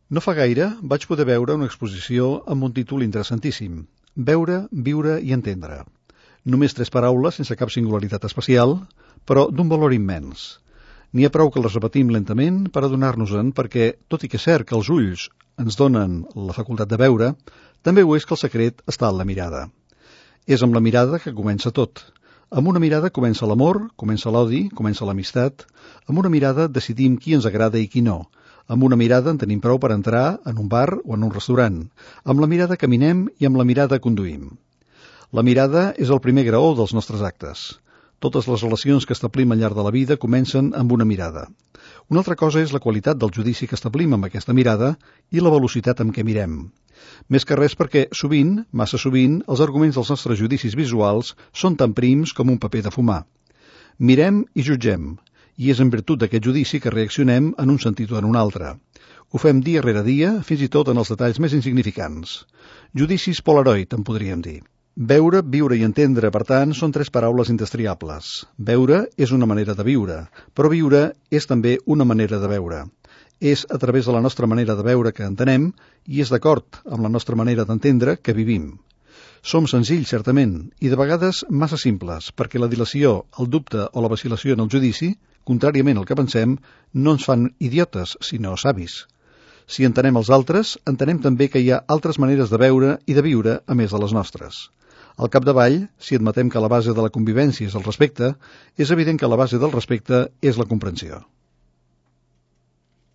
No fa gaire vaig poder veure una exposició amb un títol interessantíssim: Veure, viure i entendre. Només 3 paraules sense cap singularitat especial, però d'un valor immens. N'hi ha prou que les repetim lentament per adonar-nos-en perquè, tot i que és cert que els ulls ens donen la facultat de veure, també ho és que el secret està en la mirada. És amb la mirada que comença tot. Amb una mirada comença l'amor, comença l'odi, comença l'amistat. Amb una mirada decidim qui ens agrada i qui no. Amb una mirada en tenim prou per entrar en un bar o en un restaurant. Amb la mirada caminem i amb la mirada conduïm. La mirada és el primer graó dels nostres actes. Totes les relacions que establim al llarg de la vida comencen amb una mirada. Una altra cosa és la qualitat del judici que establim amb aquesta mirada i la velocitat amb què mirem. Més que res perquè sovint, massa sovint, els arguments dels nostres judicis visuals són tan prims com un paper de fumar. Mirem i jutgem, i és en virtut d'aquest judici que reaccionem en un sentit o en un altre. Ho fem dia rere dia, fins i tot en els detalls més insignificants. Judicis Polaroid, en podríem dir. Veure, viure i entendre, per tant, són 3 paraules indestriables. Veure és una manera de viure, però viure és també una manera de veure. És a través de la nostra manera de veure que entenem i és d'acord amb la nostra manera d'entendre que vivim. Som senzills, certament, i de vegades massa simples, perquè la dilació, el dubte o la vacil·lació en el judici, contràriament al que pensem, no ens fan idiotes, sinó savis. Si entenem els altres, entenem també que hi ha altres maneres de veure i de viure a més de les nostres. Al capdavall, si admetem que la base de la convivència és el respecte, és evident que la base del respecte és la comprensió.